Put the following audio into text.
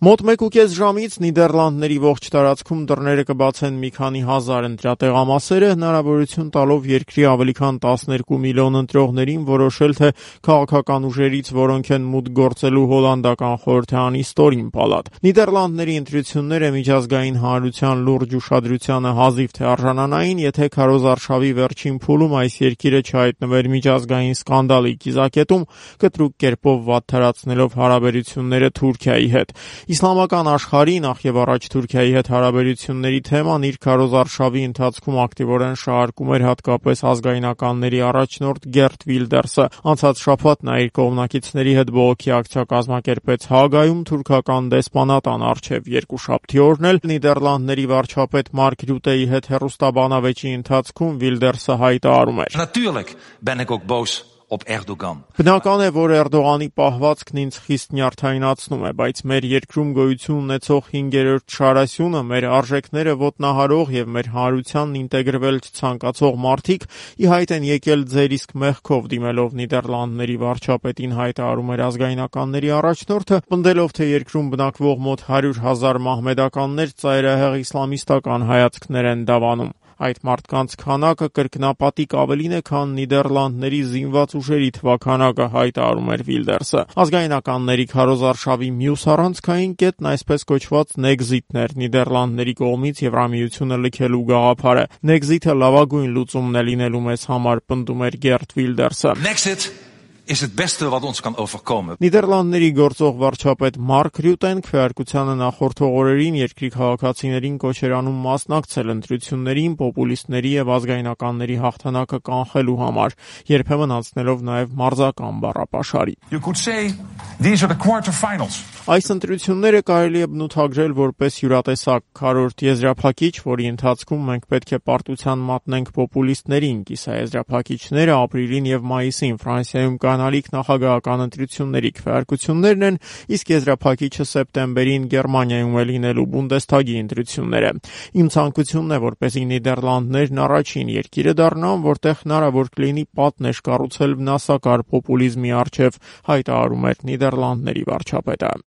Մոտ 1.5 ժամից Նիդերլանդների ողջ տարածքում դռները կբացեն մի քանի հազար ընտրատեղամասերը, հնարավորություն տալով երկրի ավելի քան 12 միլիոն ընտրողներին որոշել, թե քաղաքական ուժերից որոնք են մուտք գործելու հոլանդական խորհրդարանի ստորին պալատ։ Նիդերլանդների ընտրությունները միջազգային հանրության լուրջ ուշադրությանը հազիվ թե արժանանային, եթե քարոզարշավի վերջին փուլում այս երկիրը չհայտնվեր միջազգային սկանդալի կիզակետում, կտրուկ կերպով վատթարացնելով հարաբերությունները Թուրքիայի հետ։ Իսլամական աշխարհի, նախ եւ առաջ Թուրքիայի հետ հարաբերությունների թեման իր քարոզարշավի ընթացքում ակտիվորեն շարքում էր հատկապես ազգայնականների առաջնորդ Գերտ Վիլդերսը։ Անցած շաբաթ նա իր կողմնակիցների հետ բողոքի ակցիա կազմակերպեց Հագայում թուրքական դեսպանատան առջև։ Երկուշաբթի օրն էլ Նիդերլանդների վարչապետ Մարկ Ռյուտեի հետ հեռուստաբանավեճի ընթացքում Վիլդերսը հայտարարում էր. Natuurlijk ben ik ook boos op Erdogan. Բնական է, որ Էրդողանի պահվածքն ինձ խիստ նյարդայնացնում է, բայց մեր երկրում գոյություն ունեցող 5-րդ շարասյունը, մեր արժեքները ոտնահարող եւ մեր հանրությանն ինտեգրվել չցանկացող մարդիկ ի հայտ են եկել ձեր իսկ մեղքով, դիմելով Նիդերլանդների վարչապետին հայտարարում էր ազգայնականների առաջնորդը, պնդելով, թե երկրում բնակվող մոտ 100,000 մահմեդականներ ծայրահեղ իսլամիստական հայացքներ են դավանում։ Այդ մարդկանց քանակը կրկնապատիկ ավելին է, քան Նիդերլանդների զինված ուժերի թվաքանակը, հայտարարում էր Վիլդերսը։ Ազգայնականների քարոզարշավի մյուս առանցքային կետն այսպես կոչված Նեգզիտն էր, Նիդերլանդների կողմից Եվրամիությունը լքելու գաղափարը։ Նեգզիտը լավագույն լուծումն է լինելու մեզ համար, պնդում էր Գերտ Վիլդերսը։ Nexit is het beste wat ons kan overkomen. Նիդերլանդների գործող վարչապետ Մարկ Ռյուտեն քվեարկությանը նախորդող օրերին երկրի քաղաքացիներին կոչեր անում մասնակցել ընտրություններին պոպուլիստների եւ ազգայնականների հաղթանակը կանխելու համար, երբեմն անցնելով նաեւ մարզական բառապաշարի։ You could say these are the quarterfinals. Այս ընտրությունները կարելի է բնութագրել որպես յուրատեսակ քառորդ եզրափակիչ, որի ընթացքում մենք պետք է պարտության մատնենք պոպուլիստներին, կիսաեզրափակիչները ապրիլին եւ մայիսին Ֆրանսիայում կանալիք նախագահական ընտրությունների քվեարկություններն են, իսկ եզրափակիչը սեպտեմբերին Գերմանիայում է լինելու Բունդեսթագի ընտրությունները։ Իմ ցանկությունն է, որպեսզի Նիդերլանդներն առաջին երկիրը դառնան, որտեղ հնարավոր կլինի պատնեշ կառուցել վնասակար պոպուլիզմի առջև, հայտարարում էր Նիդերլանդների վարչապետը։